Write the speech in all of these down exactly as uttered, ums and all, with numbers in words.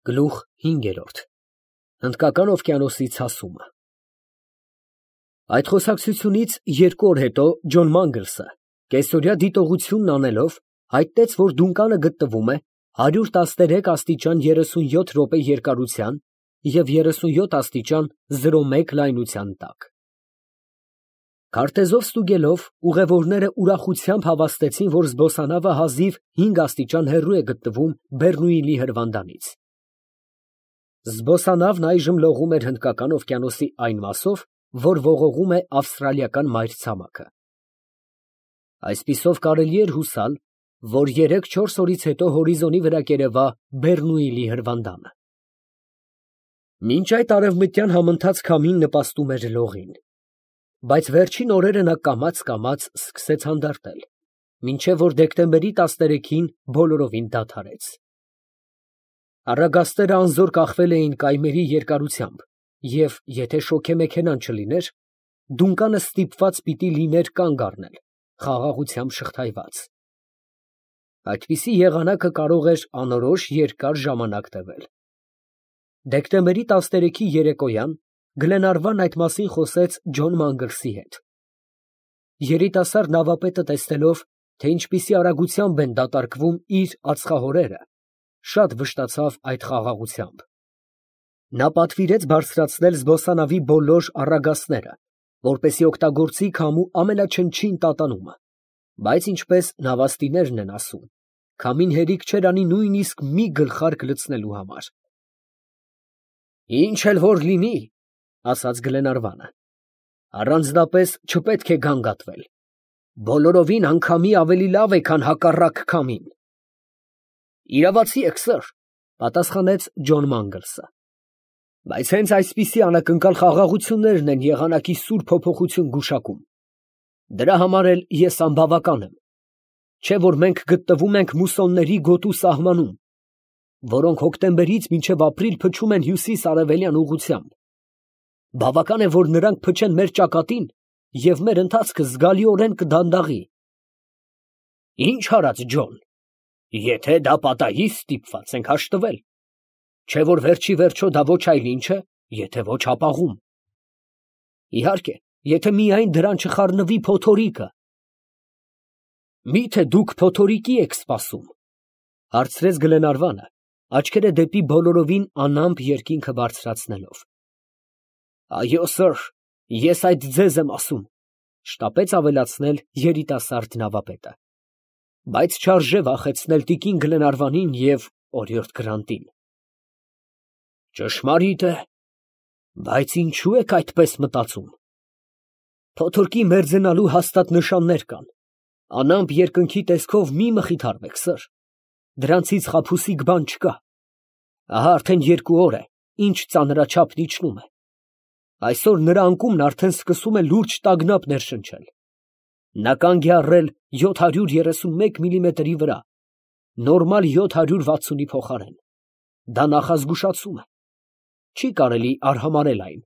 Գլուխ հինգերորդ Հնդկական օվկիանոսի ցասումը Այդ խոսակցությունից երկու օր հետո Ջոն Մանգլսը, կեսօրյա դիտողությունն անելով, հայտնեց, որ դունկանը գտնվում է հարյուր տասներեք աստիճան երեսունյոթ րոպե երկարության և երեսունյոթ աստիճան զրո մեկ լայնության տակ։ Քարտեզով ստուգելով, ուղևորները ուրախությամբ հավաստեցին, որ զբոսանավը հազիվ հինգ աստիճան հեռու է գտնվում Բեռնուիլի հրվանդանից։ Զբոսանավն այժմ լողում էր Հնդկական օվկիանոսի այն մասով, որ ողողում է ավստրալիական մայրցամաքը։ Այսպիսով կարելի էր հուսալ, որ երեք֊չորս օրից հետո հորիզոնի վրա կերևա Բեռնուիլի հրվանդանը։ Մինչ այդ արևմտյան համընթաց քամին նպաստում էր լողին, բայց վերջին օրերը նա կամաց֊կամաց սկսեց հանդարտել, մինչև որ դեկտեմբերի տասներեքին բոլորովին դադարեց։ Առագաստերը անզոր կախվել էին կայմերի երկարությամբ, և եթե շոգեմեքենան չլիներ, դունկանը ստիպված պիտի լիներ կանգ առնել, խաղաղությամբ շղթայված։ Այդպիսի եղանակը կարող էր անորոշ երկար ժամանակ տևել։ Դեկտեմբերի տասներեքի երեկոյան Գլենարվան այդ մասին խոսեց Ջոն Մանգլսի հետ։ Երիտասարդ նավապետը տեսնելով, թե ինչպիսի արագությամբ են դատարկվում իր ածխահորերը, շատ վշտացավ այդ խաղաղությամբ։ Նա պատվիրեց բարձրացնել զբոսանավի բոլոր առագաստները, որպեսզի օգտագործի քամու ամենաչնչին տատանումը, բայց ինչպես նավաստիներն են ասում, քամին հերիք չէր անի նույնիսկ մի գլխարկ լցնելու համար։ Ինչ էլ որ լինի, ասաց Գլենարվանը, առանձնապես չպետք է գանգատվել, բոլորովին անգամի ավելի լավ է, քան հակառակ քամին։ Իրավացի եք, սըր, պատասխանեց Ջոն Մանգլսը, բայց հենց այսպիսի անակնկալ խաղաղություններն են եղանակի սուր փոփոխություն գուշակում։ Դրա համար էլ ես անբավական եմ, չէ որ մենք գտնվում ենք մուսոնների գոտու սահմանում, որոնք հոկտեմբերից մինչև ապրիլ փչում են հյուսիս֊արևելյան ուղղությամբ։ Բավական է, որ նրանք փչեն մեր ճակատին, և մեր ընթացքը զգալիորեն կդանդաղի։ Ինչ արած, Ջոն, եթե դա պատահի, ստիպված ենք հաշտվել, չէ որ վերջի վերջո դա ոչ այլ ինչ է, եթե ոչ ապաղում։ Իհարկե, եթե միայն դրան չխառնվի փոթորիկը։ Մի՞թե դուք փոթորիկի եք սպասում, հարցրեց Գլենարվանը, աչքերը դեպի բոլորովին անամպ երկինքը բարձրացնելով։ Այո, սըր, ես այդ ձեզ եմ ասում, շտապեց ավելացնել երիտասարդ նավապետը, բայց չարժե վախեցնել տիկին Գլենարվանին և օրիորդ Գրանտին։ Ճշմարիտ է, բայց ինչու եք այդպես մտածում։ Փոթորկի մերձենալու հաստատ նշաններ կան, անամպ երկնքի տեսքով մի մխիթարվեք, սըր, դրանցից խաբուսիկ բան չկա։ Ահա արդեն երկու օր է, ինչ ծանրաչափն իջնում է։ Այսօր նրա անկումն արդեն սկսում է լուրջ տագնապ ներշնչել։ Նա կանգ է առել յոթ հարյուր երեսունմեկ միլիմետրի վրա, նորմալ յոթ հարյուր վաթսունի փոխարեն։ Դա նախազգուշացում է։ Չի կարելի արհամարհել այն,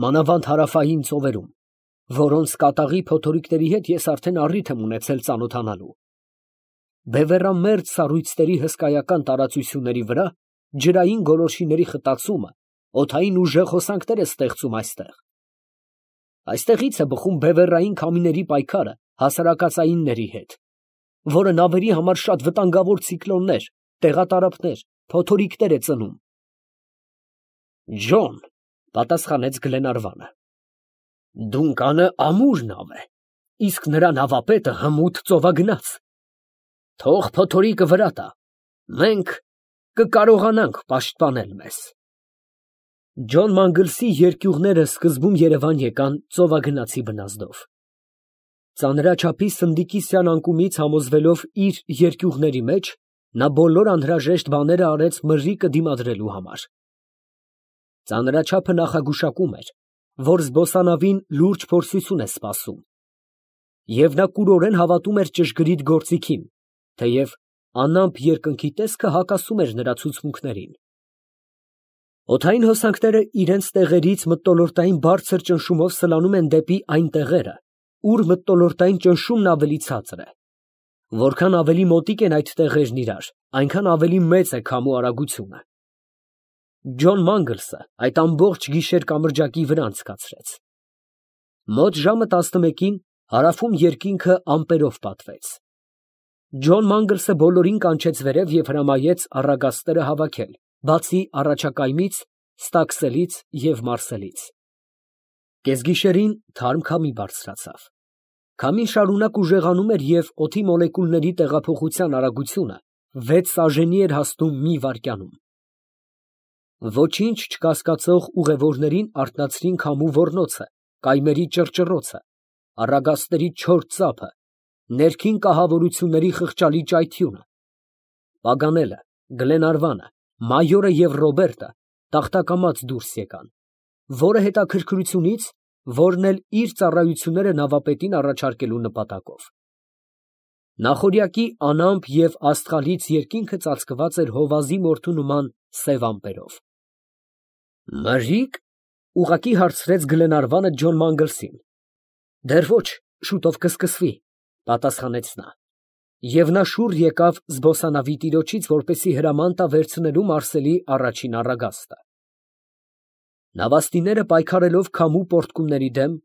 մանավանդ հարավային ծովերում, որոնց կատաղի փոթորիկների հետ ես արդեն առիթ եմ ունեցել ծանոթանալու։ Բևեռամերձ սառույցների հսկայական տարածությունների վրա ջրային գոլորշիների խտացումը օդային ուժեղ հոսանքներ է ստեղծում այստեղ։ Այստեղից է բխում բևեռային քամիների պայքարը հասարակածայինների հետ, որը նավերի համար շատ վտանգավոր ցիկլոններ, տեղատարափներ, փոթորիկներ է ծնում։ Ջոն, պատասխանեց Գլենարվանը, դունկանը ամուր նավ է, իսկ նրա նավապետը հմուտ ծովագնաց։ Թող փոթորիկը վրա տա, մենք կկարողանանք պաշտպանել մեզ։ Ջոն Մանգլսի երկյուղները սկզբում Երևան եկան ծովագնացի բնազդով։ Ծանրաչափի սնդիկիսյան անկումից համոզվելով իր երկյուղների մեջ, նա բոլոր անհրաժեշտ բաները արեց մրրիկը դիմադրելու համար։ Ծանրաչափը նախագուշակում էր, որ զբոսանավին լուրջ փորձություն է սպասում, և նա կուրորեն հավատում էր ճշգրիտ գործիքին, թեև անամպ երկնքի տեսքը հակասում էր նրա ցուցմունքներին։ Օդային հոսանքները իրենց տեղերից մթնոլորտային բարձր ճնշումով սլանում են դեպի այն տեղերը, ուր մթնոլորտային ճնշումն ավելի ցածր է։ Որքան ավելի մոտիկ են այդ տեղերն իրար, այնքան ավելի մեծ է քամու արագությունը։ Ջոն Մանգլսը այդ ամբողջ գիշեր կամրջակի վրա անցկացրեց։ Մոտ ժամը տասնմեկին հարավում երկինքը ամպերով պատվեց։ Ջոն Մանգլսը բոլորին կանչեց վերև և հրամայեց առագաստերը հավաքել, բացի առաջակայմից, Ստաքսելից և Մարսելից։ Կեսգիշերին թարմ քամի բարձրացավ։ Քամին շարունակ ուժեղանում էր և օդի մոլեկուլների տեղափոխության արագությունը վեց սաժենի էր հասնում մի վայրկյանում։ Ոչինչ չկասկածող ուղևորներին արթնացրին քամու ոռնոցը, կայմերի ճռճռոցը, առագաստերի չոր ծափը, ներքին կահավորությունների խղճալի ճայթյունը։ Պագանելը, Գլենարվանը, մայորը և Ռոբերտը տախտակամած դուրս եկան, որը հետաքրքրությունից, որն էլ իր ծառայությունները նավապետին առաջարկելու նպատակով։ Նախօրյակի անամպ և աստղալից երկինքը ծածկված էր հովազի մորթու նման սև ամպերով։ ֊ Մրրի՞կ, ֊ ուղղակի հարցրեց Գլենարվանը Ջոն Մանգլսին։ ֊ Դեռ ոչ, շուտով կսկսվի, ֊ պատասխանեց նա։ Եվ նա շուռ եկավ զբոսանավի տիրոջից, որպեսզի հրաման տա վերցնելու Մարսելի առաջին առագաստը։ Նավաստիները պայքարելով քամու պոռթկումների դեմ,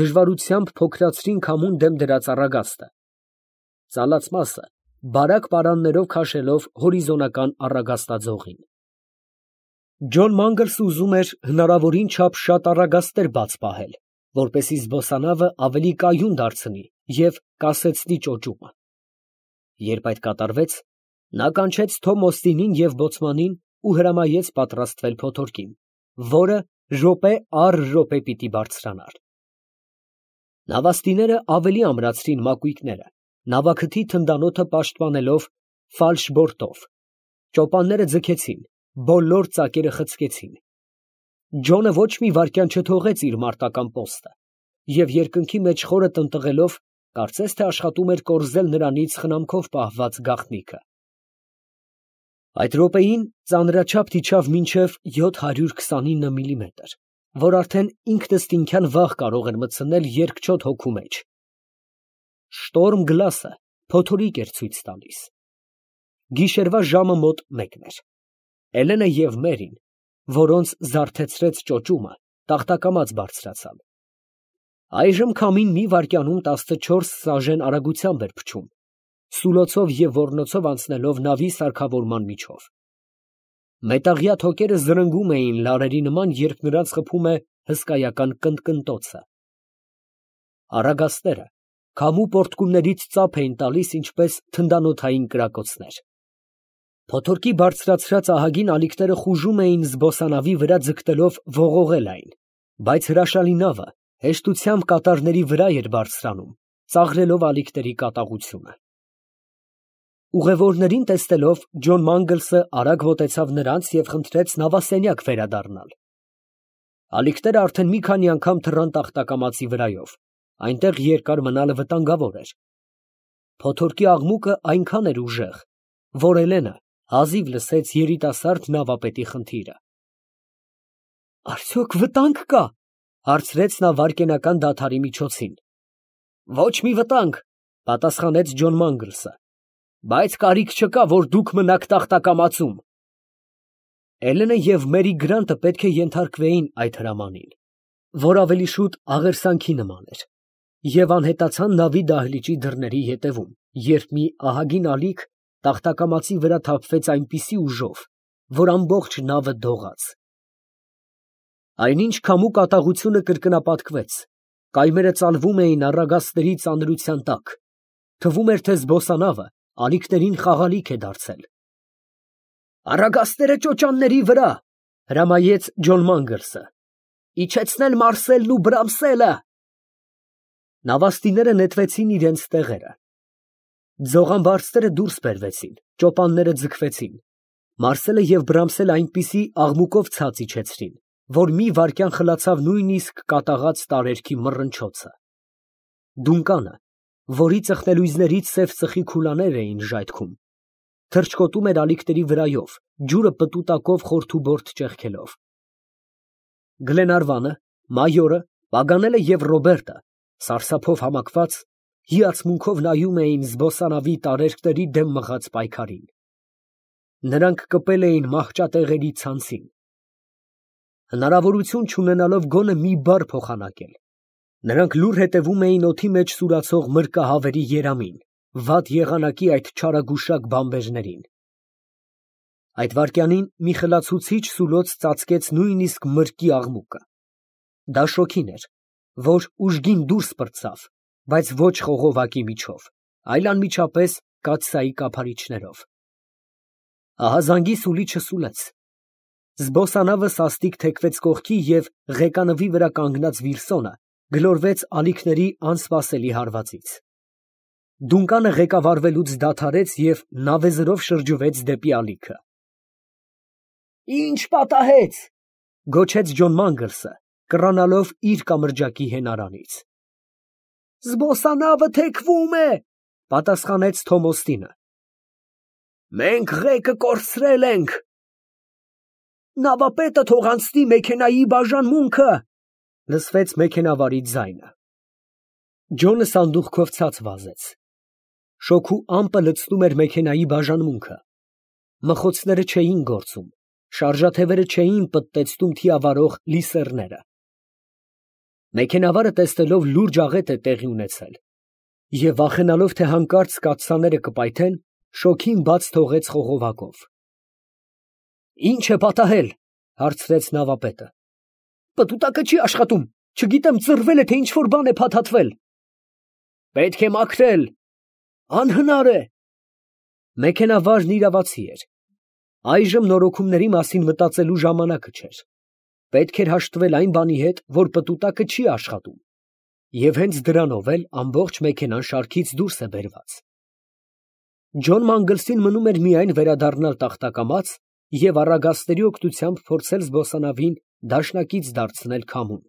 դժվարությամբ փոքրացրին քամուն դեմ դրած առագաստը, ծալած մասը բարակ պարաններով քաշելով հորիզոնական առագաստաձողին։ Ջոն Մանգլսը ուզում էր հնարավորին չափ շատ առագաստեր բաց պահել, որպեսզի զբոսանավը ավելի կայուն դարձնի և կասեցնի ճոճումը։ Երբ այդ կատարվեց, նա կանչեց Թոմ Օստինին և բոցմանին ու հրամայեց պատրաստվել փոթորկին, որը րոպե առ րոպե պիտի բարձրանար։ Նավաստիները ավելի ամրացրին մակույկները, նավաքթի թնդանոթը պաշտպանելով ֆալշբորտով, ճոպանները ձգեցին, բոլոր ծակերը խցկեցին։ Ջոնը ոչ մի վայրկյան չթողեց իր մարտական պոստը և երկնքի մեջ խորը տնտղելով, կարծես թե աշխատում էր կորզել նրանից խնամքով պահված գաղտնիքը։ Այդ րոպեին ծանրաչափ իջավ մինչև յոթ հարյուր քսանինը միլիմետր, որ արդեն ինքնըստինքյան վաղ կարող էր մտցնել երկչոտ հոգու մեջ։ Շտորմ գլասը փոթորիկ էր ցույց տալիս։ Գիշերվա ժամը մոտ մեկն էր։ Էլենը և Մերին, որոնց զարթեցրեց ճոճումը, տախտակամած բարձրացան։ Այժմ քամին մի վայրկյանում տասնչորս սաժեն արագությամբ էր փչում, սուլոցով և ոռնոցով անցնելով նավի սարքավորման միջով։ Մետաղյա թոկերը զրնգում էին լարերի նման, երբ նրանց խփում է հսկայական կնտկնտոցը։ Առագաստները քամու պոռթկումներից ծափ էին տալիս, ինչպես թնդանոթային կրակոցներ։ Փոթորկի բարձրացրած ահագին ալիքները խուժում էին զբոսանավի վրա ձգտելով ողողել այն, բայց հրաշալի նավը հեշտությամբ կատարների վրա էր բարձրանում, ծաղրելով ալիքների կատաղությունը։ Ուղևորներին տեսնելով, Ջոն Մանգլսը արագ մոտեցավ նրանց և խնդրեց նավասենյակ վերադառնալ։ Ալիքները արդեն մի քանի անգամ թռան տախտակամածի վրայով, այնտեղ երկար մնալը վտանգավոր էր։ Փոթորկի աղմուկը այնքան էր ուժեղ, որ Էլենը հազիվ լսեց երիտասարդ նավապետի խնդիրը։ ֊ Արդյոք վտանգ կա, ֊ հարցրեց նա վայրկենական դադարի միջոցին։ ֊ Ոչ մի վտանգ, ֊ պատասխանեց Ջոն Մանգլսը, ֊ բայց կարիք չկա, որ դուք մնաք տախտակամածում։ Էլենը և Մերի Գրանտը պետք է ենթարկվեին այդ հրամանին, որ ավելի շուտ աղերսանքի նման էր, և անհետացան նավի դահլիճի դռների ետևում, երբ մի ահագին ալիք տախտակամածի վրա թափվեց այնպիսի ուժով, որ ամբողջ նավը դողաց։ Այնինչ քամու կատաղությունը կրկնապատկվեց, կայմերը ծալվում էին առագաստների ծանրության տակ, թվում էր, թե զբոսանավը ալիքներին խաղալիք է դարձել։ ֊ Առագաստները ճոճանների վրա, ֊ հրամայեց Ջոն Մանգլսը, ֊ իջեցնել Մարսելն ու Բրամսելը։ Նավաստիները նետվեցին իրենց տեղերը։ Ձողամբարձները դուրս բերվեցին, ճոպանները ձգվեցին, Մարսելը և Բրամսելը այնպիսի աղմուկով ցած իջեցրին, որ մի վայրկյան խլացավ նույնիսկ կատաղած տարերքի մռնչոցը։ Դունկանը, որի ծխնելույզներից սև ծխի քուլաներ էին ժայթքում, թռչկոտում էր ալիքների վրայով, ջուրը պտուտակով խորթուբորտ ճեղքելով։ Գլենարվանը, մայորը, Պագանելը և Ռոբերտը, սարսափով համակված, հիացմունքով նայում էին զբոսանավի տարերքների դեմ մղած պայքարին։ Նրանք կպել էին մահճատեղերի ցանցին, հնարավորություն չունենալով գոնե մի բառ փոխանակել, նրանք լուռ հետևում էին օդի մեջ սուրացող մրրկահավերի երամին, վատ եղանակի այդ չարագուշակ բամբերներին։ Այդ վայրկյանին մի խլացուցիչ սուլոց ծածկեց նույնիսկ մրրկի աղմուկը։ Դա շոգին էր, որ ուժգին դուրս պրծավ, բայց ոչ խողովակի միջով, այլ անմիջապես կաթսայի կափարիչներով։ Ահա զանգի սուլիչը սուլեց։ Զբոսանավը սաստիկ թեքվեց կողքի և ղեկանվի վրա կանգնած Վիլսոնը գլորվեց ալիքների անսպասելի հարվածից։ Դունկանը ղեկավարվելուց դադարեց և նավեզրով շրջվեց դեպի ալիքը։ «Ի՞նչ պատահեց», ֊ գոչեց Ջոն Մանգլսը, կռանալով իր կամրջակի հենարանից։ ֊ Զբոսանավը թեքվում է, ֊ պատասխանեց Թոմոստինը։ ֊ Մենք ղեկը կորցրել ենք։ ֊ Նավապետը թող անցնի մեքենայի բաժանմունքը, ֊ լսվեց մեքենավարի ձայնը։ Ջոնը սանդուղքով ցած վազեց։ Շոգու ամպը լցնում էր մեքենայի բաժանմունքը։ Մխոցները չէին գործում, շարժաթևերը չէին պտտեցնում թիավարող լիսեռները։ Մեքենավարը տեսնելով լուրջ աղետ է տեղի ունեցել և վախենալով, թե հանկարծ կաթսաները կպայթեն, շոգին բաց թողեց խողովակով։ ֊ Ի՞նչ է պատահել, ֊ հարցրեց նավապետը։ ֊ Պտուտակը չի աշխատում, չգիտեմ ծռվել է, թե ինչ֊որ բան է փաթաթվել։ ֊ Պետք է մաքրել։ ֊ Անհնար է։ Մեքենավարն իրավացի էր։ Այժմ նորոգումների մասին մտածելու ժամանակը չէր։ Պետք էր հաշտվել այն բանի հետ, որ պտուտակը չի աշխատում, և հենց դրանով էլ ամբողջ մեքենան շարքից դուրս է բերված։ Ջոն Մանգլսին մնում էր միայն վերադառնալ տախտակամաց և առագաստերի օգնությամբ փորձել զբոսանավին դաշնակից դարձնել քամուն,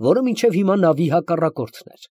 որը մինչև հիմա նավի հակառակորդն էր։